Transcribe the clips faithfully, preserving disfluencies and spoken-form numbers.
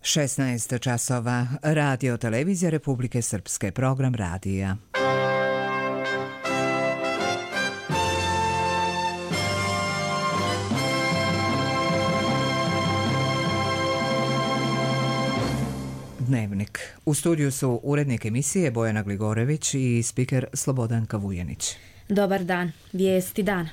šesnaest časova, Radio Televizija Republike Srpske, program radija. Dnevnik. U studiju su urednik emisije Bojana Gligorević i spiker Slobodanka Vujanić. Dobar dan. Vijesti dana.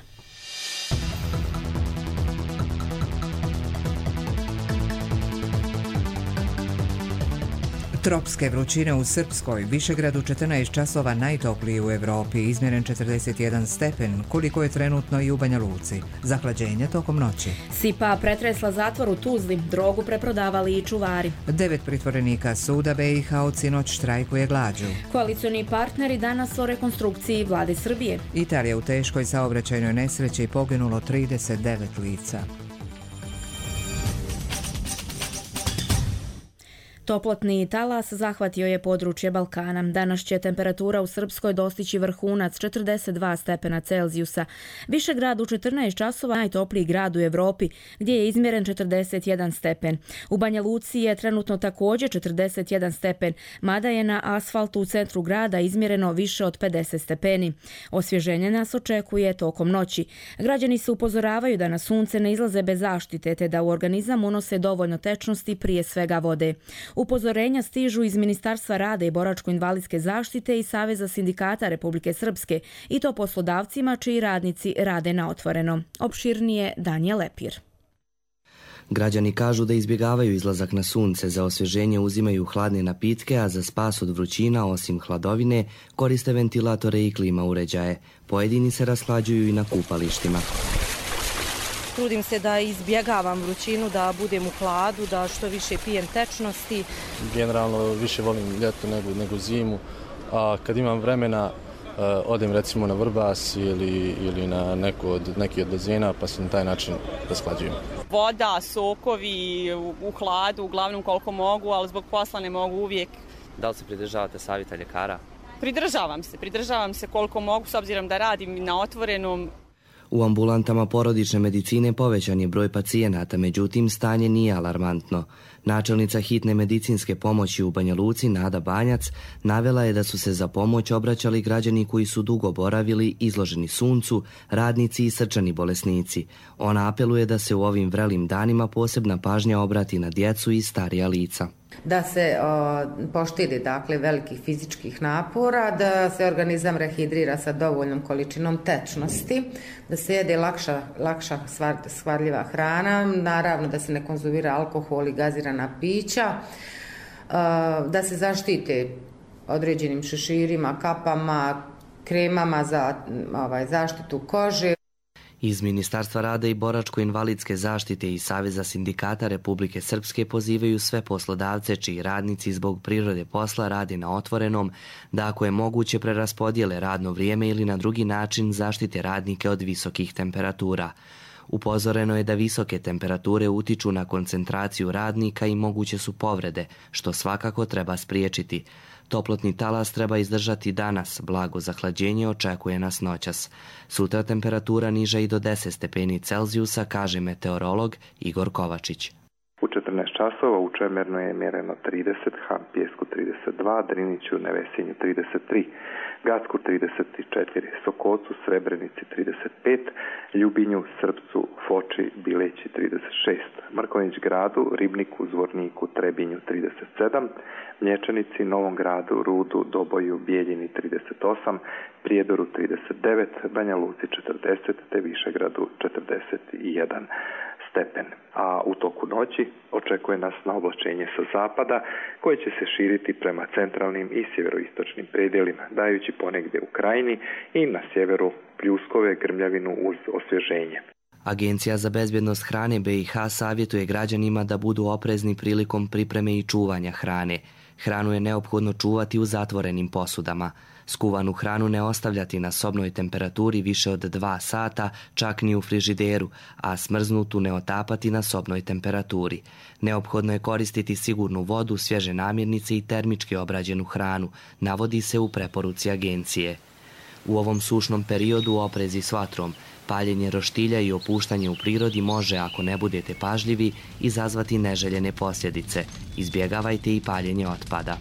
Tropske vrućine u Srpskoj, Višegradu četrnaest časova najtopliji u Evropi, izmjeren četrdeset jedan stepen, koliko je trenutno i u Banja Luci. Zahlađenje tokom noći. Sipa pretresla zatvor u Tuzli, drogu preprodavali i čuvari. Devet pritvorenika suda B i H od sinoć štrajkuje glađu. Koalicioni partneri danas o rekonstrukciji vlade Srbije. Italija u teškoj saobraćajnoj nesreći, poginulo trideset devet lica. Toplotni talas zahvatio je područje Balkana. Danas će temperatura u Srpskoj dostići vrhunac četrdeset dva stepena Celzijusa. Višegrad u četrnaest časova najtopliji grad u Evropi, gdje je izmjeren četrdeset jedan stepen. U Banja Luci je trenutno također četrdeset jedan stepen, mada je na asfaltu u centru grada izmjereno više od pedeset stepeni. Osvježenje nas očekuje tokom noći. Građani se upozoravaju da na sunce ne izlaze bez zaštite, te da u organizam unose dovoljno tečnosti, prije svega vode. Upozorenja stižu iz Ministarstva rada i boračko-invalidske zaštite i Saveza sindikata Republike Srpske, i to poslodavcima čiji radnici rade na otvoreno. Opširnije Danijel Lepir. Građani kažu da izbjegavaju izlazak na sunce, za osvježenje uzimaju hladne napitke, a za spas od vrućina, osim hladovine, koriste ventilatore i klima uređaje. Pojedini se rashlađuju i na kupalištima. Trudim se da izbjegavam vrućinu, da budem u hladu, da što više pijem tečnosti. Generalno više volim ljeto nego, nego zimu, a kad imam vremena odem recimo na Vrbas ili, ili na neku od, neki od bazena, pa se na taj način rashlađujem. Voda, sokovi u, u hladu, uglavnom koliko mogu, ali zbog posla ne mogu uvijek. Da li se pridržavate savjeta ljekara? Pridržavam se, pridržavam se koliko mogu, s obzirom da radim na otvorenom. U ambulantama porodične medicine povećan je broj pacijenata, međutim stanje nije alarmantno. Načelnica hitne medicinske pomoći u Banja Luci, Nada Banjac, navela je da su se za pomoć obraćali građani koji su dugo boravili, izloženi suncu, radnici i srčani bolesnici. Ona apeluje da se u ovim vrelim danima posebna pažnja obrati na djecu i starija lica. Da se o, poštedi dakle velikih fizičkih napora, da se organizam rehidrira sa dovoljnom količinom tečnosti, da se jede lakša, lakša stvar, stvarljiva hrana, naravno da se ne konzumira alkohol i gazirana pića, o, da se zaštite određenim šeširima, kapama, kremama za ovaj, zaštitu kože. Iz Ministarstva rada i boračko-invalidske zaštite i Saveza sindikata Republike Srpske pozivaju sve poslodavce čiji radnici zbog prirode posla rade na otvorenom, da ako je moguće preraspodijele radno vrijeme ili na drugi način zaštite radnike od visokih temperatura. Upozoreno je da visoke temperature utiču na koncentraciju radnika i moguće su povrede, što svakako treba spriječiti. Toplotni talas treba izdržati danas, blago zahlađenje očekuje nas noćas. Sutra temperatura niža i do deset stepeni Celzijusa, kaže meteorolog Igor Kovačić. U četrnaest časova u Čemernu je mjereno trideset, Han Pjesku trideset dva, Driniću, Nevesinju trideset tri, Gacku trideset četiri, Sokocu, Srebrenici trideset pet, Ljubinju, Srpcu, Foči, Bileći trideset šest, Mrkonjić Gradu, Ribniku, Zvorniku, Trebinju trideset sedam, Mlječanici, Novom Gradu, Rudu, Doboju, Bijeljini trideset osam, Prijedoru trideset devet, Banja Luci četrdeset te Višegradu četrdeset jedan stepen. A u toku noći očekuje nas na oblačenje sa zapada koje će se širiti prema centralnim i sjeveroistočnim predjelima, dajući ponegdje u krajini i na sjeveru pljuskove, grmljavinu uz osvježenje. Agencija za bezbjednost hrane B i H savjetuje građanima da budu oprezni prilikom pripreme i čuvanja hrane. Hranu je neophodno čuvati u zatvorenim posudama. Skuvanu hranu ne ostavljati na sobnoj temperaturi više od dva sata, čak ni u frižideru, a smrznutu ne otapati na sobnoj temperaturi. Neophodno je koristiti sigurnu vodu, svježe namirnice i termički obrađenu hranu, navodi se u preporuci agencije. U ovom sušnom periodu oprezi s vatrom, paljenje roštilja i opuštanje u prirodi može, ako ne budete pažljivi, izazvati neželjene posljedice. Izbjegavajte i paljenje otpada.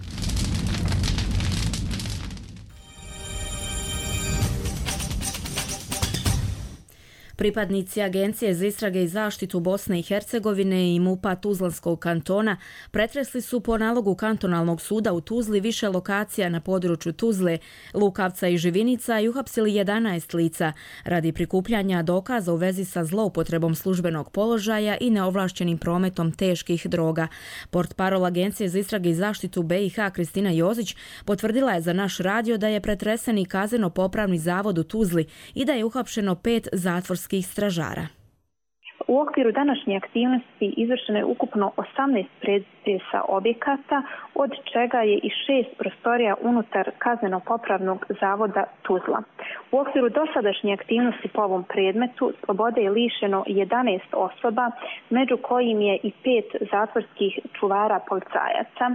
Pripadnici Agencije za istrage i zaštitu Bosne i Hercegovine i MUP-a Tuzlanskog kantona pretresli su po nalogu kantonalnog suda u Tuzli više lokacija na području Tuzle, Lukavca i Živinica i uhapsili jedanaest lica radi prikupljanja dokaza u vezi sa zloupotrebom službenog položaja i neovlašćenim prometom teških droga. Portparol Agencije za istrage i zaštitu B i H Kristina Jozić potvrdila je za naš radio da je pretresen i kazneno-popravni zavod u Tuzli i da je uhapšeno pet zatvorskih stražara. U okviru današnje aktivnosti izvršeno je ukupno osamnaest pretresa objekata, od čega je i šest prostorija unutar kazneno-popravnog zavoda Tuzla. U okviru dosadašnje aktivnosti po ovom predmetu slobode je lišeno jedanaest osoba, među kojim je i pet zatvorskih čuvara policajaca.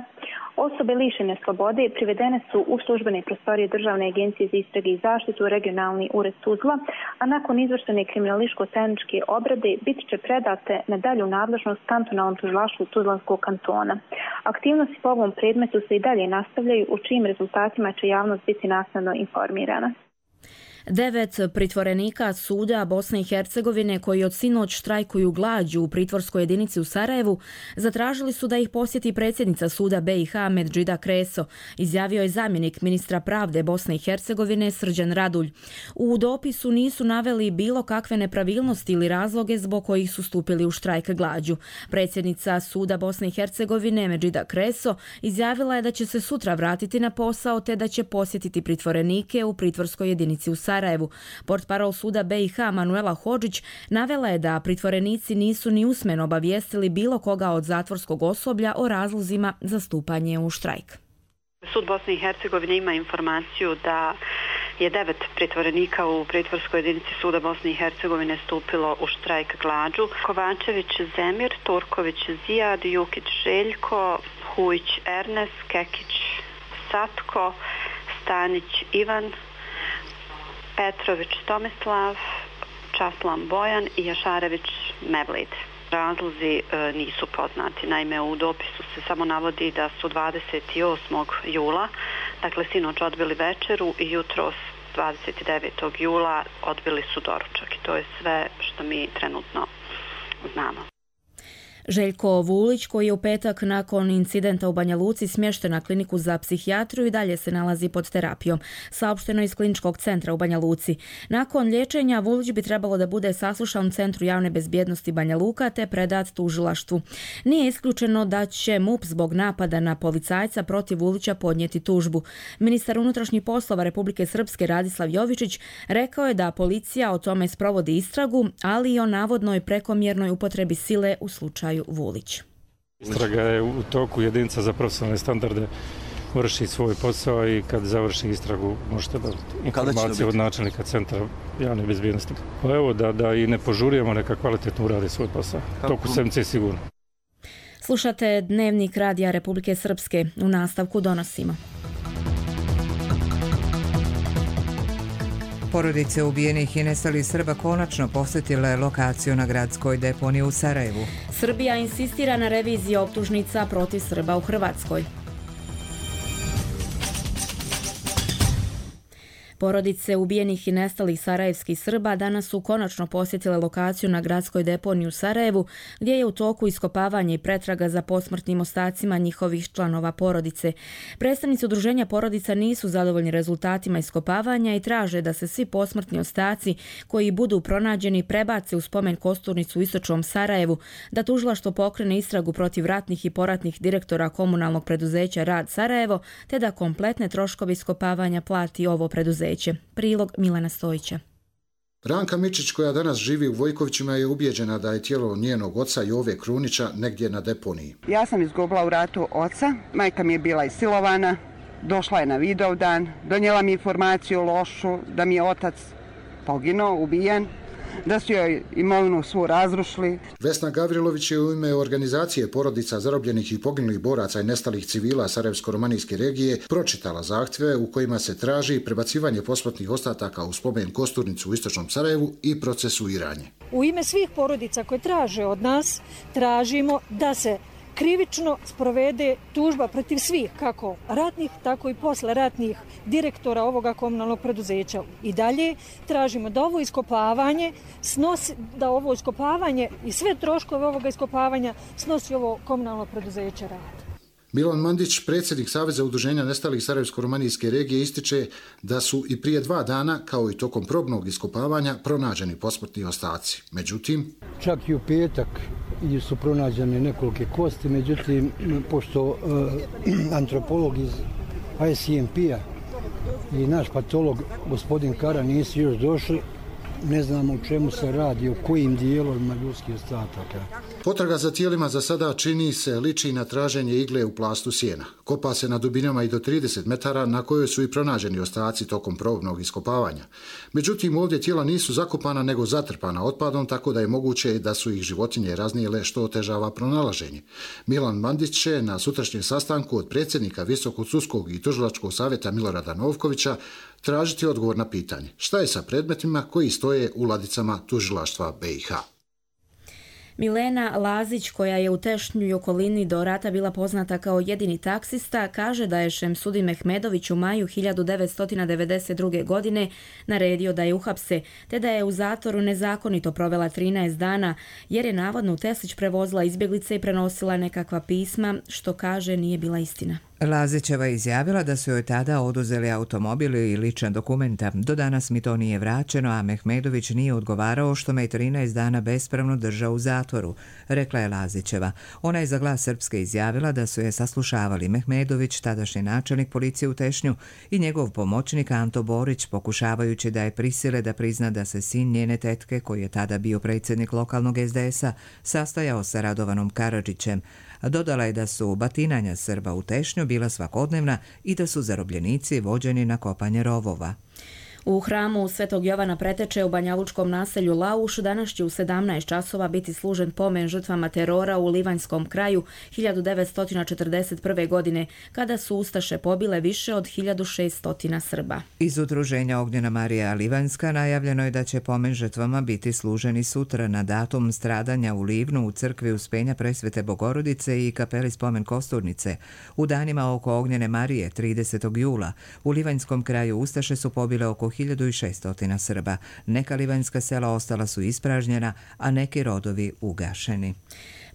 Osobe lišene slobode privedene su u službene prostorije Državne agencije za istrage i zaštitu regionalni ured Tuzla, a nakon izvršene kriminalističko-tehničke obrade bit će predate na dalju nadležnost kantonalnom tužilaštvu Tuzlanskog kantona. Aktivnosti po ovom predmetu se i dalje nastavljaju, u čijim rezultatima će javnost biti naknadno informirana. Devet pritvorenika suda Bosne i Hercegovine koji od sinoć štrajkuju glađu u pritvorskoj jedinici u Sarajevu zatražili su da ih posjeti predsjednica suda B i H Medžida Kreso, izjavio je zamjenik ministra pravde Bosne i Hercegovine Srđan Radulj. U dopisu nisu naveli bilo kakve nepravilnosti ili razloge zbog kojih su stupili u štrajk glađu. Predsjednica suda Bosne i Hercegovine Medžida Kreso izjavila je da će se sutra vratiti na posao te da će posjetiti pritvorenike u pritvorskoj jedinici u Sarajevu. Sarajevu. Portparol suda B i H Manuela Hodžić navela je da pritvorenici nisu ni usmeno obavijestili bilo koga od zatvorskog osoblja o razlozima za stupanje u štrajk. Sud Bosne i Hercegovine ima informaciju da je devet pritvorenika u pritvorskoj jedinici suda Bosne i Hercegovine stupilo u štrajk glađu. Kovačević Zemir, Turković Zijad, Jukić Željko, Hujić Ernest, Kekić Satko, Stanić Ivan, Petrović Tomislav, Časlan Bojan i Jašarević Mevlid. Razlozi e, nisu poznati. Naime, u dopisu se samo navodi da su dvadeset osmog jula, dakle sinoć odbili večeru i jutros dvadeset devetog jula odbili su doručak. I to je sve što mi trenutno znamo. Željko Vulić, koji je u petak nakon incidenta u Banja Luci smješten na kliniku za psihijatriju i dalje se nalazi pod terapijom, saopšteno iz kliničkog centra u Banja Luci. Nakon liječenja Vulić bi trebalo da bude saslušan u Centru javne bezbjednosti Banja Luka te predat tužilaštvu. Nije isključeno da će MUP zbog napada na policajca protiv Vulića podnijeti tužbu. Ministar unutrašnjih poslova Republike Srpske Radislav Jovičić rekao je da policija o tome sprovodi istragu, ali i o navodnoj prekomjernoj upotrebi sile u slučaju Vulić. Istraga je u toku, jedinica za profesionalne standarde vrši svoj posao i kad završi istragu možete dobiti informacije od načelnika Centra javne bezbjednosti. Pa evo da, da i ne požurujemo, neka kvalitetno uradi svoj posao. Toku sedmice sigurno. Slušate Dnevnik Radija Republike Srpske. U nastavku donosimo. Porodice ubijenih i nestalih Srba konačno posjetile lokaciju na gradskoj deponiji u Sarajevu. Srbija insistira na reviziji optužnica protiv Srba u Hrvatskoj. Porodice ubijenih i nestalih sarajevskih Srba danas su konačno posjetile lokaciju na gradskoj deponiji u Sarajevu, gdje je u toku iskopavanje i pretraga za posmrtnim ostacima njihovih članova porodice. Predstavnici udruženja porodica nisu zadovoljni rezultatima iskopavanja i traže da se svi posmrtni ostaci koji budu pronađeni prebace u spomen kosturnicu u istočnom Sarajevu, da tužilaštvo pokrene istragu protiv ratnih i poratnih direktora komunalnog preduzeća Rad Sarajevo, te da kompletne troškove iskopavanja plati ovo preduzeće. Prilog Milana Stojića. Ranka Mičić, koja danas živi u Vojkovićima, je ubijeđena da je tijelo njenog oca Jove Krunića negdje na deponiji. Ja sam izgubila u ratu oca, majka mi je bila isilovana, došla je na Vidovdan, donijela mi informaciju lošu da mi je otac poginuo, ubijen. da su joj imovinu svu razrušili. Vesna Gavrilović je u ime organizacije porodica zarobljenih i poginulih boraca i nestalih civila Sarajevsko-romanijske regije pročitala zahtjeve u kojima se traži prebacivanje posmrtnih ostataka u spomen kosturnicu u istočnom Sarajevu i procesuiranje. U ime svih porodica koje traže od nas, tražimo da se krivično sprovede tužba protiv svih, kako ratnih, tako i posleratnih direktora ovoga komunalnog preduzeća. I dalje tražimo da ovo iskopavanje snosi, da ovo iskopavanje i sve troškove ovoga iskopavanja snosi ovo komunalno preduzeće Rad. Milan Mandić, predsjednik Saveza udruženja nestalih Sarajevsko-romanijske regije, ističe da su i prije dva dana, kao i tokom probnog iskopavanja, pronađeni posmrtni ostaci. Međutim, čak i u petak su pronađene nekolike kosti, međutim, pošto uh, antropolog iz I C M P-a i naš patolog, gospodin Kara, nisu još došli, ne znamo u čemu se radi, o kojim dijelovima ljudskih ostataka. Potraga za tijelima za sada čini se liči na traženje igle u plastu sjena. Kopa se na dubinama i do trideset metara na kojoj su i pronađeni ostaci tokom probnog iskopavanja. Međutim, ovdje tijela nisu zakopana nego zatrpana otpadom, tako da je moguće da su ih životinje raznijele, što otežava pronalaženje. Milan Mandić će na sutrašnjem sastanku od predsjednika Visokog sudskog i tužilačkog savjeta Milorada Novkovića tražiti odgovor na pitanje šta je sa predmetima koji stoje u ladicama tužilaštva B i H. Milena Lazić, koja je u Tešnju i okolini do rata bila poznata kao jedini taksista, kaže da je Šemsudi Mehmedović u maju hiljadu devetsto devedeset druge. godine naredio da je uhapse, te da je u zatvoru nezakonito provela trinaest dana, jer je navodno u Teslić prevozila izbjeglice i prenosila nekakva pisma, što kaže nije bila istina. Lazićeva izjavila da su joj tada oduzeli automobil i lična dokumenta. Do danas mi to nije vraćeno, a Mehmedović nije odgovarao što me trinaest dana bespravno držao u zatvoru, rekla je Lazićeva. Ona je za Glas Srpske izjavila da su je saslušavali Mehmedović, tadašnji načelnik policije u Tešnju, i njegov pomoćnik Anto Borić, pokušavajući da je prisile da prizna da se sin njene tetke, koji je tada bio predsjednik lokalnog S D S-a, sastajao sa Radovanom Karadžićem. Dodala je da su batinanja Srba u Tešnju bila svakodnevna i da su zarobljenici vođeni na kopanje rovova. U hramu Svetog Jovana Preteče u banjalučkom naselju Lauš danas će u sedamnaest časova biti služen pomen žrtvama terora u Livanjskom kraju hiljadu devetsto četrdeset prve. godine, kada su ustaše pobile više od hiljadu šesto Srba. Iz udruženja Ognjena Marija Livanjska najavljeno je da će pomen žrtvama biti služeni sutra na datum stradanja u Livnu u crkvi Uspenja Presvete Bogorodice i kapeli Spomen Kosturnice. U danima oko Ognjene Marije tridesetog jula u Livanjskom kraju ustaše su pobile oko hiljadu šesto Srba. Neka livanjska sela ostala su ispražnjena, a neki rodovi ugašeni.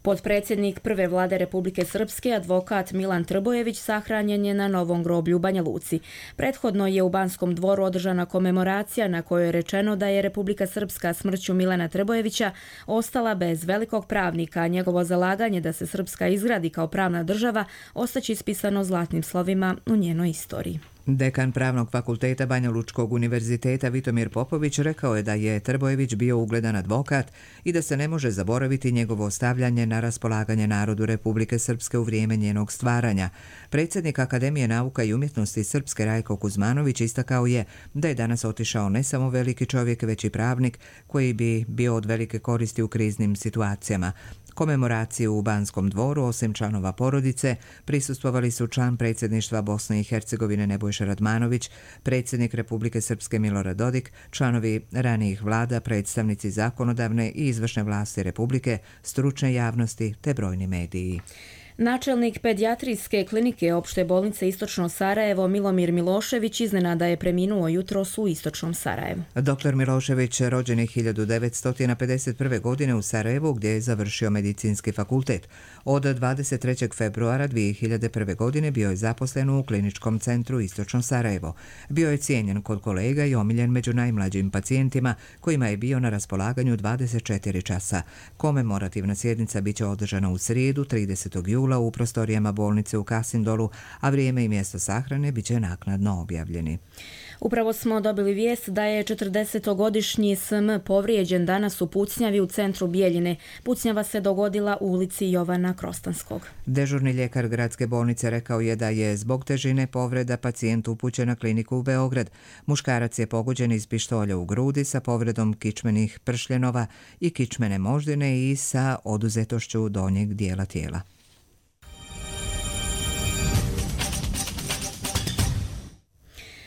Potpredsjednik prve vlade Republike Srpske, advokat Milan Trbojević, sahranjen je na Novom groblju u Banja Luci. Prethodno je u Banskom dvoru održana komemoracija na kojoj je rečeno da je Republika Srpska smrću Milana Trbojevića ostala bez velikog pravnika, a njegovo zalaganje da se Srpska izgradi kao pravna država ostaće ispisano zlatnim slovima u njenoj istoriji. Dekan Pravnog fakulteta Banja Lučkog univerziteta Vitomir Popović rekao je da je Trbojević bio ugledan advokat i da se ne može zaboraviti njegovo ostavljanje na raspolaganje narodu Republike Srpske u vrijeme njenog stvaranja. Predsjednik Akademije nauka i umjetnosti Srpske Rajko Kuzmanović istakao je da je danas otišao ne samo veliki čovjek, već i pravnik koji bi bio od velike koristi u kriznim situacijama. Komemoraciju u Banskom dvoru, osim članova porodice, prisustvovali su član predsjedništva Bosne i Hercegovine Nebojša Radmanović, predsjednik Republike Srpske Milorad Dodik, članovi ranijih vlada, predstavnici zakonodavne i izvršne vlasti Republike, stručne javnosti te brojni mediji. Načelnik pedijatrijske klinike opšte bolnice Istočno Sarajevo Milomir Milošević iznenada je preminuo jutros u Istočnom Sarajevu. Doktor Milošević rođen je hiljadu devetsto pedeset prve. godine u Sarajevu, gdje je završio medicinski fakultet. Od dvadeset trećeg februara dvije hiljade prve. godine bio je zaposlen u kliničkom centru Istočno Sarajevo. Bio je cijenjen kod kolega i omiljen među najmlađim pacijentima, kojima je bio na raspolaganju dvadeset četiri časa. Komemorativna sjednica biće održana u srijedu tridesetog jula poginula u prostorijama bolnice u Kasindolu, a vrijeme i mjesto sahrane bit će naknadno objavljeni. Upravo smo dobili vijest da je četrdesetogodišnji S M povrijeđen danas u pucnjavi u centru Bijeljine. Pucnjava se dogodila u ulici Jovana Krostanskog. Dežurni ljekar gradske bolnice rekao je da je zbog težine povreda pacijent upućen na kliniku u Beograd. Muškarac je pogođen iz pištolja u grudi sa povredom kičmenih pršljenova i kičmene moždine i sa oduzetošću donjeg dijela tijela.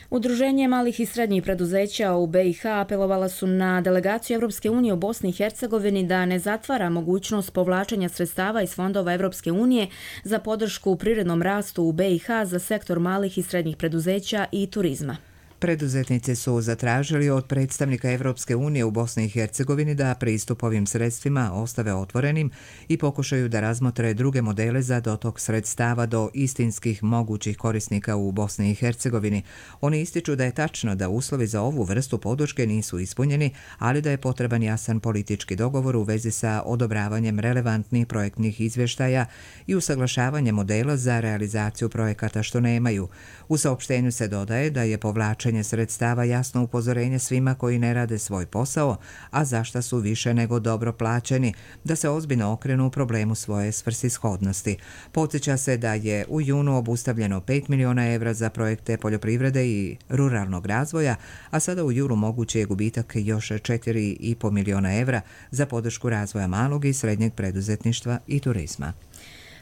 Udruženje malih i srednjih preduzeća u B i H apelovala su na delegaciju Europske unije u Bosni i Hercegovini da ne zatvara mogućnost povlačenja sredstava iz fondova Europske unije za podršku u prirodnom rastu u B i H za sektor malih i srednjih preduzeća i turizma. Preduzetnici su zatražili od predstavnika Europske unije u Bosni i Hercegovini da pristup ovim sredstvima ostave otvorenim i pokušaju da razmotre druge modele za dotok sredstava do istinskih mogućih korisnika u Bosni i Hercegovini. Oni ističu da je tačno da uslovi za ovu vrstu podrške nisu ispunjeni, ali da je potreban jasan politički dogovor u vezi sa odobravanjem relevantnih projektnih izvještaja i usaglašavanje modela za realizaciju projekata što nemaju. U saopštenju se dodaje da je povlačenje sredstava jasno upozorenje svima koji ne rade svoj posao, a zašta su više nego dobro plaćeni, da se ozbiljno okrenu u problemu svoje svrsishodnosti. Podsjeća se da je u junu obustavljeno pet miliona evra za projekte poljoprivrede i ruralnog razvoja, a sada u julu mogući je gubitak još četiri i po miliona evra za podršku razvoja malog i srednjeg preduzetništva i turizma.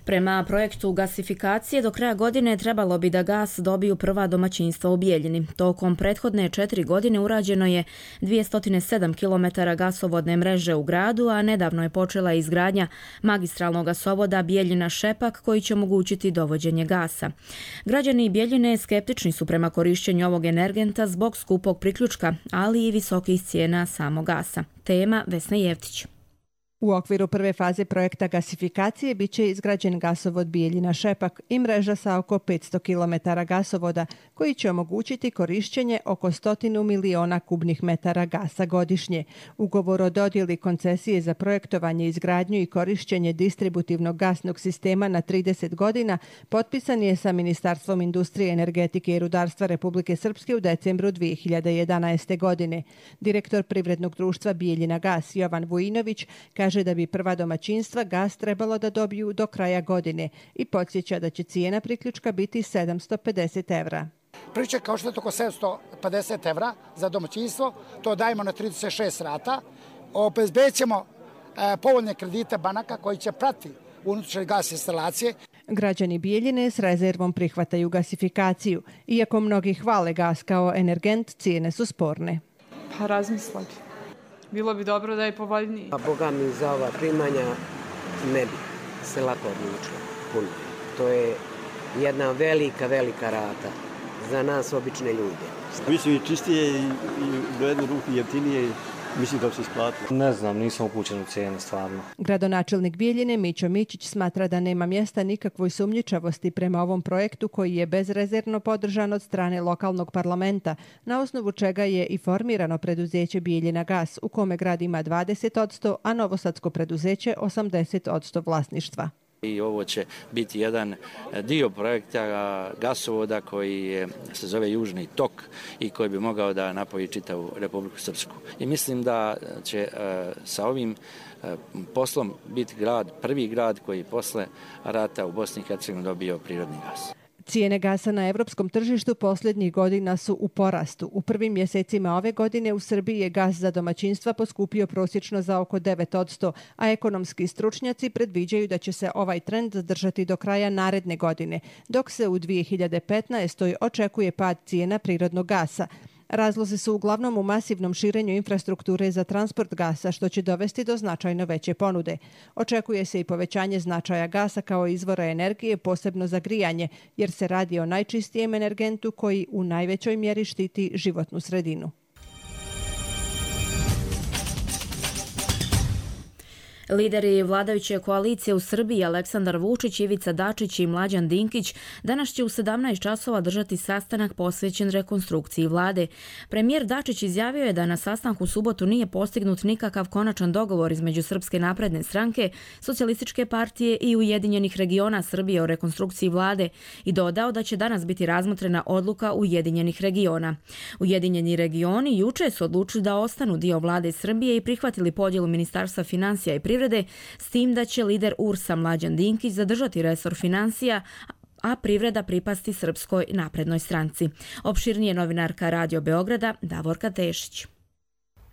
Prema projektu gasifikacije do kraja godine trebalo bi da gas dobiju prva domaćinstva u Bijeljini. Tokom prethodne četiri godine urađeno je dvjesto sedam kilometara gasovodne mreže u gradu, a nedavno je počela izgradnja magistralnog gasovoda Bijeljina-Šepak koji će omogućiti dovođenje gasa. Građani Bijeljine skeptični su prema korišćenju ovog energenta zbog skupog priključka, ali i visokih cijena samog gasa. Tema Vesna Jevtić. U okviru prve faze projekta gasifikacije bit će izgrađen gasovod Bijeljina-Šepak i mreža sa oko petsto kilometara gasovoda koji će omogućiti korišćenje oko stotinu miliona kubnih metara gasa godišnje. Ugovor o dodjeli koncesije za projektovanje, izgradnju i korišćenje distributivnog gasnog sistema na trideset godina potpisan je sa Ministarstvom industrije, energetike i rudarstva Republike Srpske u decembru dvije hiljade jedanaeste. godine. Direktor privrednog društva Bijeljina gas Jovan Vujinović kaže da bi prva domaćinstva gas trebalo da dobiju do kraja godine i podsjeća da će cijena priključka biti sedamsto pedeset evra. Priključak kao što je oko sedamsto pedeset evra za domaćinstvo, to dajemo na trideset šest rata. Obezbedit ćemo e, povoljne kredite banaka koji će pratiti unutrašnje gas instalacije. Građani Bijeljine s rezervom prihvataju gasifikaciju. Iako mnogi hvale gas kao energent, cijene su sporne. Pa razmisliti. Bilo bi dobro da je povoljniji. A boga mi za ova primanja ne bi se lako odlučila puno. To je jedna velika, velika rata za nas obične ljude. Mislim i čistije i, i do jedne ruke jeftinije. Mislim da se isplatilo. Ne znam, nisam upućen u cijene, stvarno. Gradonačelnik Bijeljine Mićo Mićić smatra da nema mjesta nikakvoj sumnjičavosti prema ovom projektu koji je bezrezervno podržan od strane lokalnog parlamenta, na osnovu čega je i formirano preduzeće Bijeljina gas, u kome grad ima dvadeset posto, a novosadsko preduzeće osamdeset posto vlasništva. I ovo će biti jedan dio projekta gasovoda koji je, se zove Južni tok i koji bi mogao da napoji čitavu Republiku Srpsku. I mislim da će sa ovim poslom biti grad, prvi grad koji posle rata u Bosni i Hercegovini dobio prirodni gas. Cijene gasa na evropskom tržištu posljednjih godina su u porastu. U prvim mjesecima ove godine u Srbiji je gas za domaćinstva poskupio prosječno za oko devet posto, a ekonomski stručnjaci predviđaju da će se ovaj trend zadržati do kraja naredne godine, dok se u dvije hiljade petnaestoj. očekuje pad cijena prirodnog gasa. Razlozi su uglavnom u masivnom širenju infrastrukture za transport gasa, što će dovesti do značajno veće ponude. Očekuje se i povećanje značaja gasa kao izvora energije, posebno za grijanje, jer se radi o najčistijem energentu koji u najvećoj mjeri štiti životnu sredinu. Lideri vladajuće koalicije u Srbiji Aleksandar Vučić, Ivica Dačić i Mlađan Dinkić danas će u sedamnaest časova držati sastanak posvećen rekonstrukciji vlade. Premijer Dačić izjavio je da na sastanku u subotu nije postignut nikakav konačan dogovor između Srpske napredne stranke, Socijalističke partije i Ujedinjenih regiona Srbije o rekonstrukciji vlade i dodao da će danas biti razmotrena odluka Ujedinjenih regiona. Ujedinjeni regioni juče su odlučili da ostanu dio vlade Srbije i prihvatili podjelu Ministarstva financija i privrede, s tim da će lider U R S-a Mlađan Dinkić zadržati resor financija, a privreda pripasti Srpskoj naprednoj stranci. Opširnije novinarka Radio Beograda Davorka Tešić.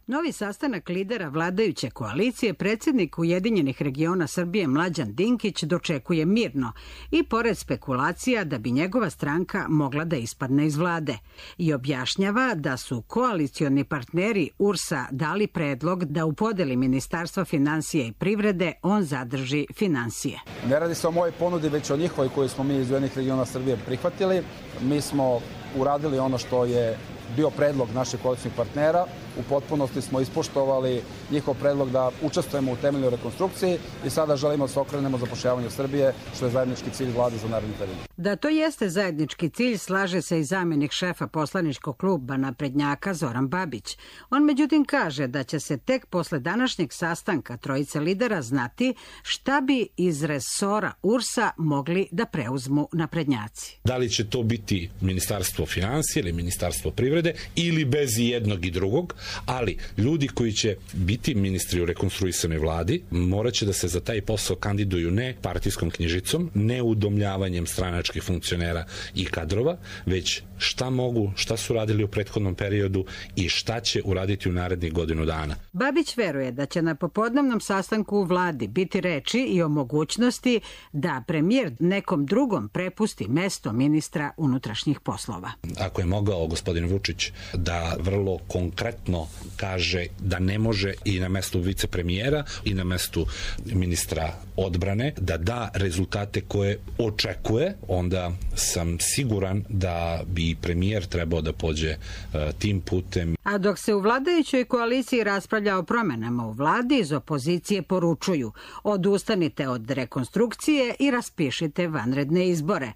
Novi sastanak lidera vladajuće koalicije predsjednik Ujedinjenih regiona Srbije Mlađan Dinkić dočekuje mirno i pored spekulacija da bi njegova stranka mogla da ispadne iz vlade i objašnjava da su koalicioni partneri U R S-a dali predlog da u podeli Ministarstva financija i privrede on zadrži finansije. Ne radi se o mojoj ponudi, već o njihovoj koju smo mi iz Ujedinjenih regiona Srbije prihvatili. Mi smo uradili ono što je bio predlog naših koalicijnih partnera. U potpunosti smo ispoštovali njihov predlog da učestvujemo u temeljnoj rekonstrukciji i sada želimo da se okrenemo zapošljavanju Srbije, što je zajednički cilj vlade za naredni period. Da to jeste zajednički cilj, slaže se i zamjenik šefa poslaničkog kluba naprednjaka Zoran Babić. On međutim kaže da će se tek posle današnjeg sastanka trojice lidera znati šta bi iz resora U R S-a mogli da preuzmu naprednjaci. Da li će to biti Ministarstvo financija ili Ministarstvo privrede ili bez jednog i drugog, ali ljudi koji će biti ministri u rekonstruisanoj vladi morat će da se za taj posao kandiduju ne partijskom knjižicom, ne udomljavanjem stranačkih funkcionera i kadrova, već šta mogu, šta su radili u prethodnom periodu i šta će uraditi u narednih godinu dana. Babić veruje da će na popodnevnom sastanku u vladi biti reči i o mogućnosti da premijer nekom drugom prepusti mesto ministra unutrašnjih poslova. Ako je mogao gospodin Vučić da vrlo konkretno kaže da ne može i na mestu vicepremijera i na mestu ministra odbrane da da rezultate koje očekuje, onda sam siguran da bi premijer trebao da pođe uh, tim putem. A dok se u vladajućoj koaliciji raspravlja o promenama u vladi, iz opozicije poručuju: odustanite od rekonstrukcije i raspišite vanredne izbore.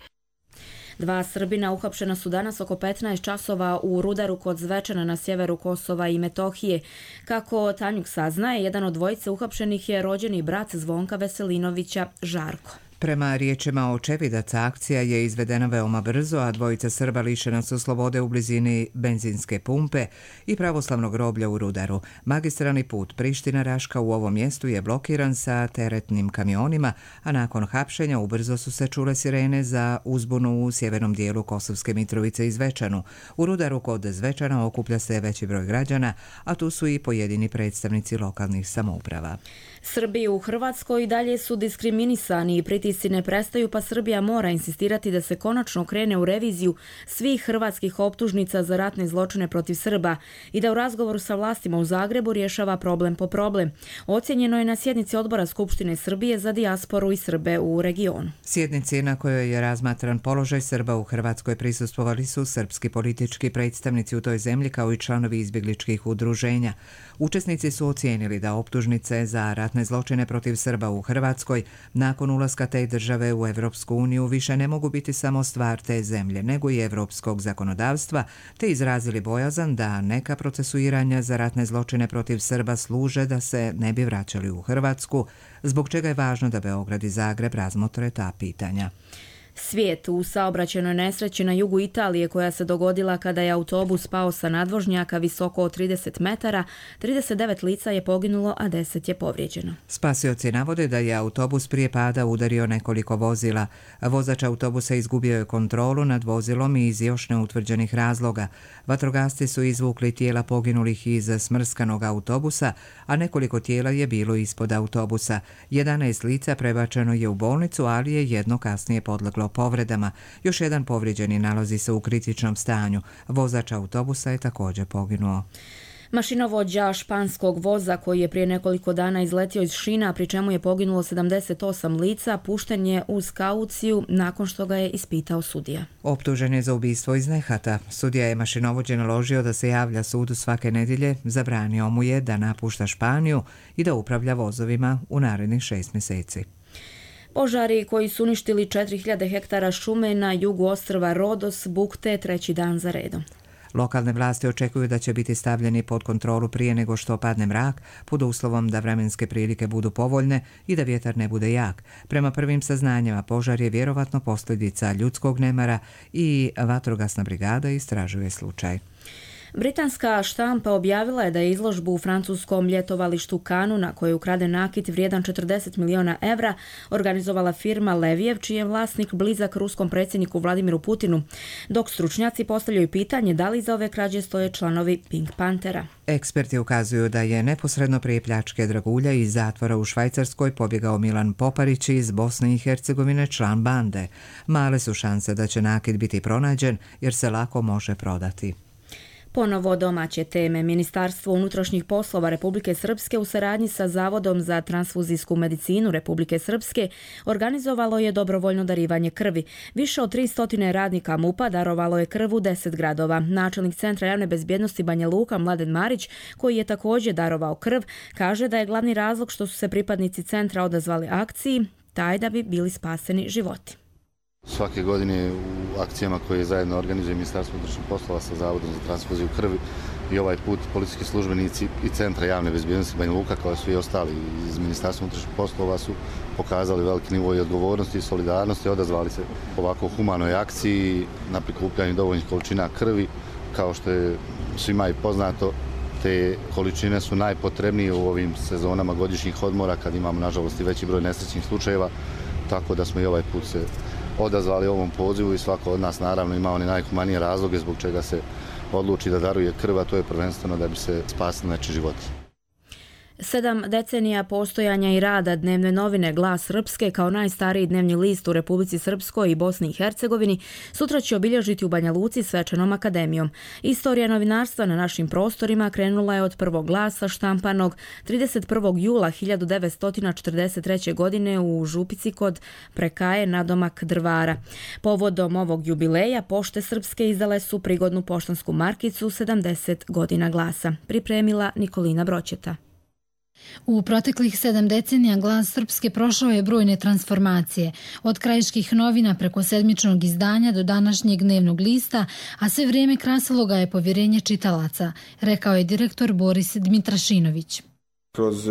Dva Srbina uhapšena su danas oko petnaest časova u Rudaru kod Zvečana na sjeveru Kosova i Metohije. Kako Tanjuk saznaje, jedan od dvojice uhapšenih je rođeni brat Zvonka Veselinovića, Žarko. Prema riječima očevidaca, akcija je izvedena veoma brzo, a dvojica Srba lišena su slobode u blizini benzinske pumpe i pravoslavnog groblja u Rudaru. Magistralni put Priština-Raška u ovom mjestu je blokiran sa teretnim kamionima, a nakon hapšenja ubrzo su se čule sirene za uzbunu u sjevernom dijelu Kosovske Mitrovice i Zvečanu. U Rudaru kod Zvečana okuplja se veći broj građana, a tu su i pojedini predstavnici lokalnih samouprava. Srbi u Hrvatskoj i dalje su diskriminisani i pritisci ne prestaju, pa Srbija mora insistirati da se konačno krene u reviziju svih hrvatskih optužnica za ratne zločine protiv Srba i da u razgovoru sa vlastima u Zagrebu rješava problem po problem. Ocjenjeno je na sjednici Odbora Skupštine Srbije za dijasporu i Srbe u regionu. Sjednici na kojoj je razmatran položaj Srba u Hrvatskoj prisustvovali su srpski politički predstavnici u toj zemlji kao i članovi izbjegličkih udruženja. Učesnici su ocijenili da optužnice za ratne zločine protiv Srba u Hrvatskoj nakon ulaska te države u Evropsku uniju više ne mogu biti samo stvar te zemlje, nego i evropskog zakonodavstva, te izrazili bojazan da neka procesuiranja za ratne zločine protiv Srba služe da se ne bi vraćali u Hrvatsku, zbog čega je važno da Beograd i Zagreb razmotre ta pitanja. Svijet u saobraćajnoj nesreći na jugu Italije koja se dogodila kada je autobus pao sa nadvožnjaka visoko od trideset metara, trideset devet lica je poginulo, a deset je povrijeđeno. Spasioci navode da je autobus prije pada udario nekoliko vozila. Vozač autobusa izgubio je kontrolu nad vozilom i iz još neutvrđenih razloga. Vatrogasci su izvukli tijela poginulih iz smrskanog autobusa, a nekoliko tijela je bilo ispod autobusa. jedanaest lica prebačeno je u bolnicu, ali je jedno kasnije podleglo povredama. Još jedan povrijeđeni nalazi se u kritičnom stanju. Vozač autobusa je također poginuo. Mašinovođa španskog voza koji je prije nekoliko dana izletio iz šina, pri čemu je poginulo sedamdeset osam lica, pušten je uz kauciju nakon što ga je ispitao sudija. Optužen je za ubistvo iz nehata. Sudija je mašinovođe naložio da se javlja sudu svake nedjelje, zabranio mu je da napušta Španiju i da upravlja vozovima u narednih šest mjeseci. Požari koji su uništili četiri hiljade hektara šume na jugu ostrva Rodos bukte treći dan za redom. Lokalne vlasti očekuju da će biti stavljeni pod kontrolu prije nego što padne mrak, pod uslovom da vremenske prilike budu povoljne i da vjetar ne bude jak. Prema prvim saznanjima, požar je vjerovatno posljedica ljudskog nemara i vatrogasna brigada istražuje slučaj. Britanska štampa objavila je da je izložbu u francuskom ljetovalištu Kanu, na kojoj je ukraden nakit vrijedan četrdeset milijuna evra, organizovala firma Levijev, čiji je vlasnik blizak ruskom predsjedniku Vladimiru Putinu, dok stručnjaci postavljaju pitanje da li iza ove krađe stoje članovi Pink Panthera. Eksperti ukazuju da je neposredno prije pljačke dragulja iz zatvora u Švajcarskoj pobjegao Milan Poparić iz Bosne i Hercegovine, član bande. Male su šanse da će nakit biti pronađen jer se lako može prodati. Ponovo domaće teme. Ministarstvo unutrašnjih poslova Republike Srpske u saradnji sa Zavodom za transfuzijsku medicinu Republike Srpske organizovalo je dobrovoljno darivanje krvi. Više od tristo radnika MUP-a darovalo je krv u deset gradova. Načelnik Centra javne bezbjednosti Banja Luka Mladen Marić, koji je također darovao krv, kaže da je glavni razlog što su se pripadnici centra odazvali akciji taj da bi bili spaseni životi. Svake godine u akcijama koje zajedno organizuje Ministarstvo unutrašnjih poslova sa Zavodom za transfuziju krvi i ovaj put policijski službenici i Centra javne bezbjednosti Banja Luka, kao svi ostali iz Ministarstva unutrašnjih poslova, su pokazali veliki nivo i odgovornosti i solidarnosti, odazvali se ovako humanoj akciji na prikupljanju dovoljnih količina krvi. Kao što je svima i poznato, te količine su najpotrebnije u ovim sezonama godišnjih odmora kad imamo nažalost i veći broj nesrećnih slučajeva, tako da smo i ovaj put se odazvali ovom pozivu i svako od nas naravno ima one najhumanije razloge zbog čega se odluči da daruje krv, a to je prvenstveno da bi se spasili nečiji životi. Sedam decenija postojanja i rada dnevne novine Glas Srpske kao najstariji dnevni list u Republici Srpskoj i Bosni i Hercegovini sutra će obilježiti u Banja Luci svečanom akademijom. Istorija novinarstva na našim prostorima krenula je od prvog glasa štampanog trideset prvog jula hiljadu devetsto četrdeset treće. godine u Župici kod Prekaje nadomak Drvara. Povodom ovog jubileja Pošte Srpske izdale su prigodnu poštansku markicu sedamdeset godina glasa. Pripremila Nikolina Broćeta. U proteklih sedam decenija Glas Srpske prošao je brojne transformacije, od krajiških novina preko sedmičnog izdanja do današnjeg dnevnog lista, a sve vrijeme krasilo ga je povjerenje čitalaca, rekao je direktor Boris Dmitrašinović. Kroz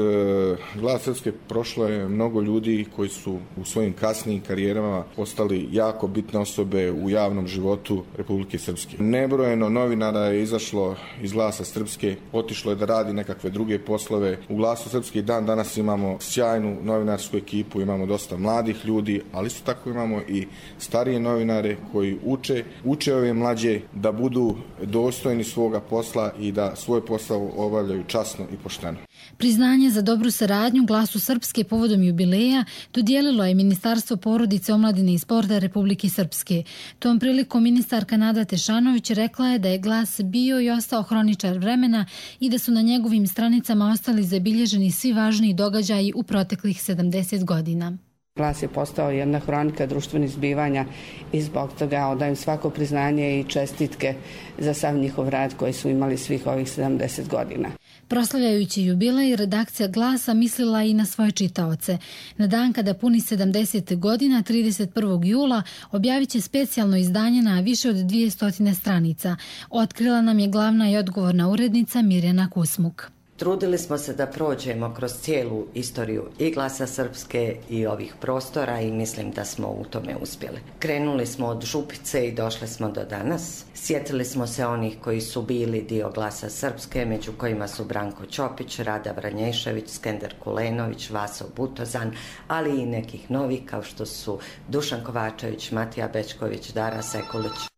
Glas Srpske prošlo je mnogo ljudi koji su u svojim kasnijim karijerama postali jako bitne osobe u javnom životu Republike Srpske. Nebrojeno novinara je izašlo iz Glasa Srpske, otišlo je da radi nekakve druge poslove. U Glasu Srpske i dan danas imamo sjajnu novinarsku ekipu, imamo dosta mladih ljudi, ali isto tako imamo i starije novinare koji uče, uče ove mlađe da budu dostojni svoga posla i da svoj posao obavljaju časno i pošteno. Priznanje za dobru saradnju Glasu Srpske povodom jubileja dodijelilo je Ministarstvo porodice, omladine i sporta Republike Srpske. Tom prilikom ministarka Nada Tešanović rekla je da je Glas bio i ostao hroničar vremena i da su na njegovim stranicama ostali zabilježeni svi važniji događaji u proteklih sedamdeset godina. Glas je postao jedna hronika društvenih zbivanja i zbog toga odajem svako priznanje i čestitke za sav njihov rad koji su imali svih ovih sedamdeset godina. Proslavljajući jubilej, redakcija Glasa mislila i na svoje čitaoce. Na dan kada puni sedamdeset godina, trideset prvog jula, objavit će specijalno izdanje na više od dvjesto stranica. Otkrila nam je glavna i odgovorna urednica Mirjana Kusmuk. Trudili smo se da prođemo kroz cijelu istoriju i Glasa Srpske i ovih prostora i mislim da smo u tome uspjeli. Krenuli smo od Župice i došli smo do danas. Sjetili smo se onih koji su bili dio Glasa Srpske, među kojima su Branko Ćopić, Rada Vranješević, Skender Kulenović, Vaso Butozan, ali i nekih novih kao što su Dušan Kovačević, Matija Bečković, Dara Sekulić.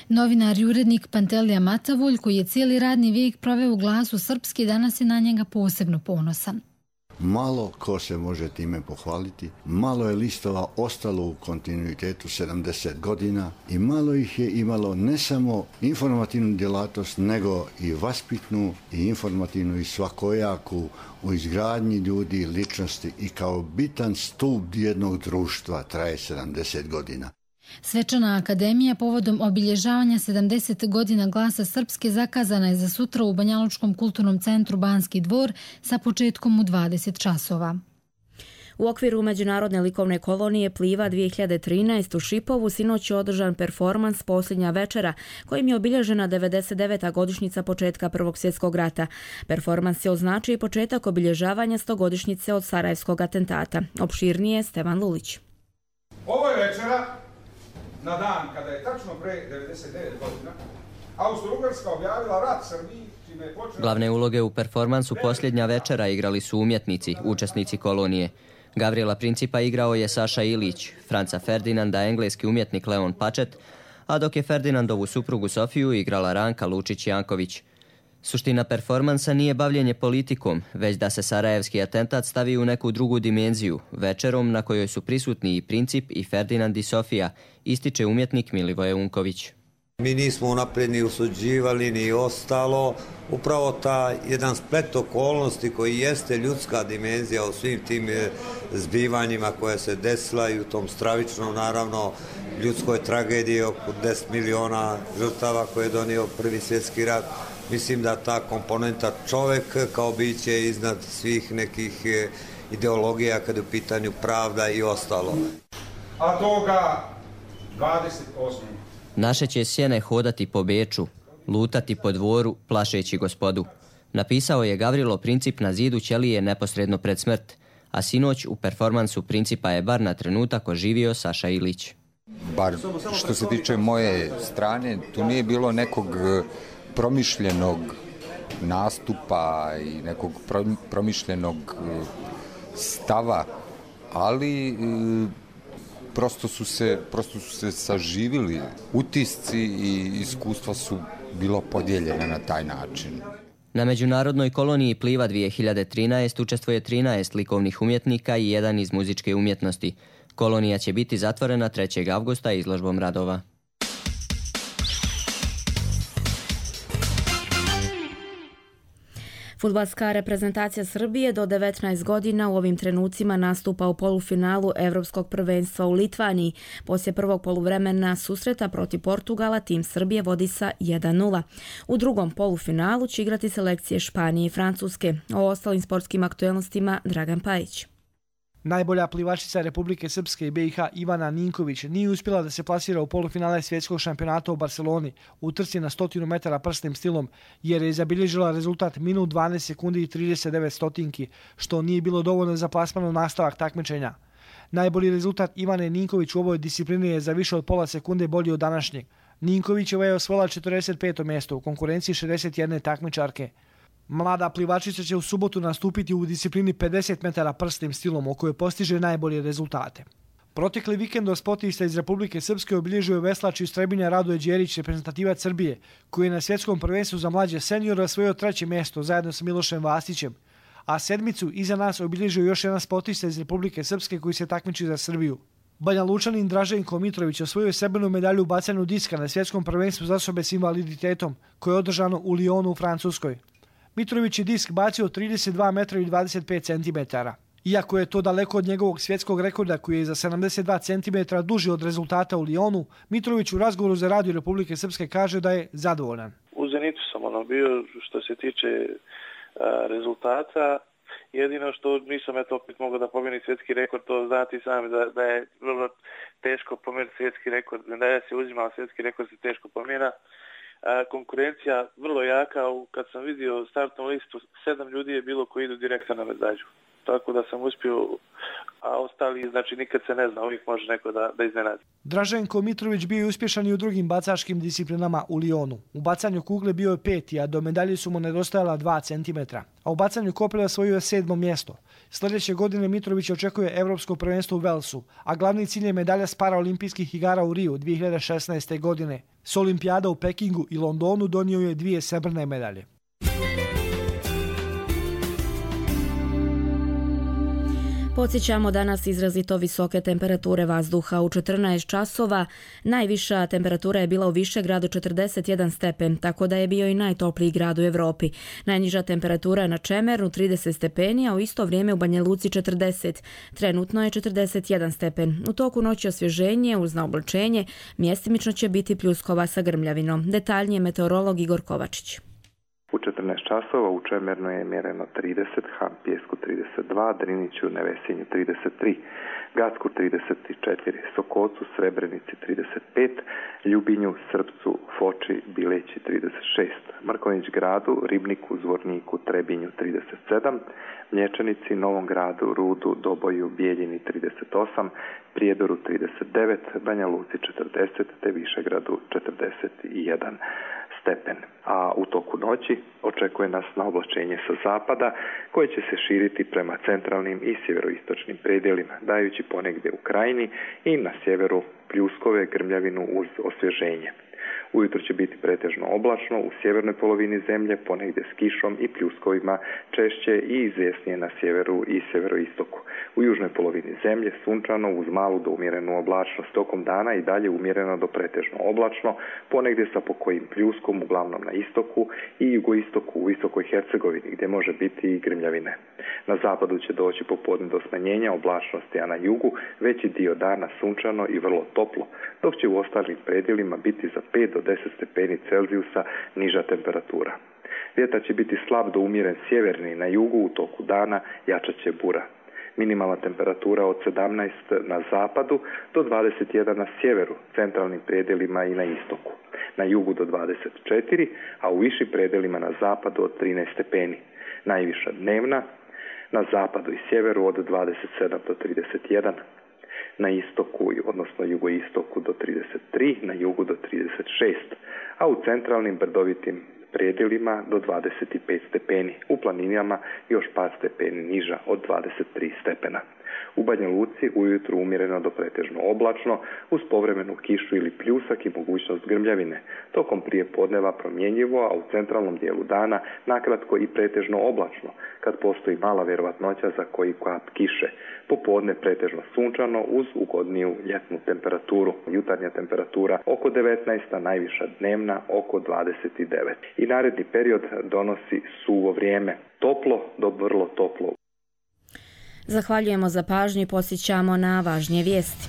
Novinar i urednik Pantelija Macavulj, koji je cijeli radni vijek proveo u Glasu Srpske, danas je na njega posebno ponosan. malo ko se može time pohvaliti, malo je listova ostalo u kontinuitetu sedamdeset godina i malo ih je imalo ne samo informativnu djelatnost, nego i vaspitnu i informativnu i svakojaku u izgradnji ljudi, ličnosti i kao bitan stup jednog društva traje sedamdeset godina. Svečana akademija povodom obilježavanja sedamdeset godina Glasa Srpske zakazana je za sutra u Banjalučkom kulturnom centru Banski dvor sa početkom u dvadeset časova. U okviru Međunarodne likovne kolonije Pliva dvije hiljade trinaeste u Šipovu sinoć je održan performans Posljednja večera, kojim je obilježena devedeset deveta godišnjica početka Prvog svjetskog rata. Performans je označio i početak obilježavanja stogodišnjice od Sarajevskog atentata. Opširnije Stevan Lulić. Ovo je večera na dan kada je tačno pre devedeset devet godina Austro-Ugarska objavila rat Srbiji. Glavne uloge u performansu Posljednja večera igrali su umjetnici, učesnici kolonije. Gavrijela Principa igrao je Saša Ilić, Franca Ferdinanda engleski umjetnik Leon Pačet, a dok je Ferdinandovu suprugu Sofiju igrala Ranka Lučić-Janković. Suština performansa nije bavljenje politikom, već da se sarajevski atentat stavi u neku drugu dimenziju, večerom na kojoj su prisutni i Princip i Ferdinand i Sofija, ističe umjetnik Milivoje Unković. Mi nismo unaprijed ni usuđivali ni ostalo, upravo ta jedan splet okolnosti koji jeste ljudska dimenzija u svim tim zbivanjima koje se desila i u tom stravičnom, naravno, ljudskoj tragediji oko deset miliona žrtava koje je donio Prvi svjetski rat. Mislim da ta komponenta čovek kao biće iznad svih nekih ideologija kada je u pitanju pravda i ostalo. A toga dvadeset osmog Naše će sjene hodati po Beču, lutati po dvoru, plašeći gospodu. Napisao je Gavrilo Princip na zidu ćelije neposredno pred smrt, a sinoć u performansu Principa je bar na trenutak oživio Saša Ilić. Bar što se tiče moje strane, tu nije bilo nekog promišljenog nastupa i nekog promišljenog stava, ali prosto su se, prosto su se saživili utisci i iskustva su bilo podijeljene na taj način. Na Međunarodnoj koloniji Pliva dvije hiljade trinaeste učestvuje trinaest likovnih umjetnika i jedan iz muzičke umjetnosti. Kolonija će biti zatvorena trećeg avgusta izložbom radova. Fudbalska reprezentacija Srbije do devetnaest godina u ovim trenucima nastupa u polufinalu Evropskog prvenstva u Litvaniji. Poslije prvog poluvremena susreta protiv Portugala tim Srbije vodi sa jedan nula. U drugom polufinalu će igrati selekcije Španije i Francuske. O ostalim sportskim aktuelnostima Dragan Pajić. Najbolja plivačica Republike Srpske i B i H Ivana Ninković nije uspjela da se plasira u polufinale svjetskog šampionata u Barceloni u trci na stotinu metara prsnim stilom, jer je zabilježila rezultat minut dvanaest sekundi i trideset devet stotinki, što nije bilo dovoljno za plasman u nastavak takmičenja. Najbolji rezultat Ivane Ninković u ovoj disciplini je za više od pola sekunde bolji od današnjeg. Ninkovićeva je osvojila četrdeset peto mjesto u konkurenciji šezdeset jedne takmičarke. Mlada plivačica će u subotu nastupiti u disciplini pedeset metara prsnim stilom, u kojoj postiže najbolje rezultate. Protekli vikend sportista iz Republike Srpske obilježio je veslač iz Trebinja Radoje Đerić, reprezentativac Srbije, koji je na svjetskom prvenstvu za mlađe seniora osvojio treće mjesto zajedno sa Milošem Vastićem, a sedmicu iza nas obilježio još jedan sportista iz Republike Srpske koji se takmiči za Srbiju. Banja Lučanin Draženko Mitrović osvojio je srebrnu medalju u bacanju diska na svjetskom prvenstvu za osobe s invaliditetom, koje je održano u Lyonu u Francuskoj. Mitrović je disk bacio trideset dva metra i dvadeset pet centimetara. Iako je to daleko od njegovog svjetskog rekorda koji je za sedamdeset dva centimetra duži od rezultata u Lyonu, Mitrović u razgovoru za Radio Republike Srpske kaže da je zadovoljan. U Zenitu sam ono bio što se tiče a, rezultata. Jedino što nisam eto opet mogao da pomeni svjetski rekord, to znati sami da, da je vrlo teško pomeriti svjetski rekord. Da je se uzimao svjetski rekord se teško pomjera. A, konkurencija vrlo jaka, kad sam vidio startnu listu, sedam ljudi je bilo koji idu direktno na medalju. Tako da sam uspio, a ostali, znači nikad se ne zna, uvijek može neko da, da iznenadi. Draženko Mitrović bio je uspješan i u drugim bacačkim disciplinama u Lyonu. U bacanju kugle bio je peti, a do medalje su mu nedostajala dva centimetra. A u bacanju kopelja osvojio je sedmo mjesto. Sljedeće godine Mitrović očekuje Evropsko prvenstvo u Velsu, a glavni cilj je medalja s paraolimpijskih igara u Riju dvije hiljade šesnaeste. godine. S olimpijada u Pekingu i Londonu donio je dvije srebrne medalje. Podsjećamo danas izrazito visoke temperature vazduha u četrnaest časova. Najviša temperatura je bila u Višegradu četrdeset jedan stepen, tako da je bio i najtopliji grad u Evropi. Najniža temperatura na Čemernu trideset stepeni, a u isto vrijeme u Banja Luci četrdeset. Trenutno je četrdeset jedan stepen. U toku noći osvježenje uz naoblačenje, mjestimično će biti pljuskova sa grmljavinom. Detaljnije meteorolog Igor Kovačić. U četrnaest časova u Čemernu je mjereno trideset, Han Pijesku trideset dva, Driniću, Nevesinju trideset tri, Gacku trideset četiri, Sokocu, Srebrenici trideset pet, Ljubinju, Srpcu, Foči, Bileći trideset šest, Mrkonjić Gradu, Ribniku, Zvorniku, Trebinju trideset sedam, Mlječanici, Novom Gradu, Rudu, Doboju, Bijeljini trideset osam, Prijedoru trideset devet, Banja Luci četrdeset te Višegradu četrdeset jedan stepen. A u toku noći očekuje nas naoblačenje sa zapada koje će se širiti prema centralnim i sjeveroistočnim predjelima, dajući ponegdje u krajini i na sjeveru pljuskove, grmljavinu uz osvježenje. Ujutro će biti pretežno oblačno u sjevernoj polovini zemlje, ponegdje s kišom i pljuskovima, češće i izvjesnije na sjeveru i sjeveroistoku. U južnoj polovini zemlje sunčano uz malu do umjerenu oblačnost, tokom dana i dalje umjereno do pretežno oblačno, ponegdje sa pokojim pljuskom, uglavnom na istoku i jugoistoku u Visokoj Hercegovini, gdje može biti i grmljavine. Na zapadu će doći popodne do smanjenja oblačnosti, a na jugu veći dio dana sunčano i vrlo toplo, dok će u ostalim predjelima biti za pet do deset stepeni Celzijusa niža temperatura. Vjetar će biti slab do umjeren sjeverni, na jugu u toku dana jačat će bura. Minimalna temperatura od sedamnaest na zapadu do dvadeset jedan na sjeveru, centralnim predjelima i na istoku. Na jugu do dvadeset četiri, a u višim predjelima na zapadu od trinaest stepeni. Najviša dnevna na zapadu i sjeveru od dvadeset sedam do trideset jedan. Na istoku, odnosno jugoistoku do trideset tri, na jugu do trideset šest, a u centralnim brdovitim predjelima do dvadeset pet stepeni, u planinama još par stepeni niža od dvadeset tri stepena. U Banja Luci ujutru umjereno do pretežno oblačno, uz povremenu kišu ili pljusak i mogućnost grmljavine. Tokom prije podneva promjenjivo, a u centralnom dijelu dana nakratko i pretežno oblačno, kad postoji mala vjerovatnoća za koji kap kiše. Popodne pretežno sunčano uz ugodniju ljetnu temperaturu. Jutarnja temperatura oko devetnaest, a najviša dnevna oko dvadeset devet. I naredni period donosi suvo vrijeme. Toplo do vrlo toplo. Zahvaljujemo za pažnju i podsjećamo na važnije vijesti.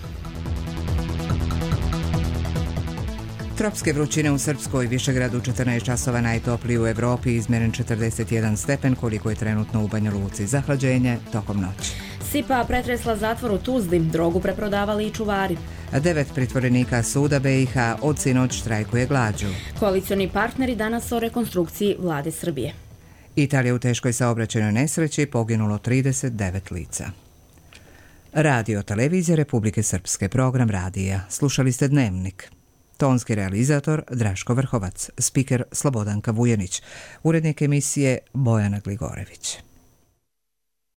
Tropske vrućine u Srpskoj, Višegradu četrnaest časova najtopliji u Evropi, izmjeren četrdeset jedan stepen koliko je trenutno u Banja Luci. Zahlađenje tokom noći. Sipa pretresla zatvor u Tuzli, drogu preprodavali i čuvari. Devet pritvorenika suda B i H od sinoć štrajkuje glađu. Koalicioni partneri danas o rekonstrukciji vlade Srbije. Italija u teškoj saobraćajnoj nesreći, poginulo trideset devet lica. Radio televizija Republike Srpske, program radija. Slušali ste Dnevnik. Tonski realizator Draško Vrhovac, spiker Slobodanka Vujanić, urednik emisije Bojana Gligorević.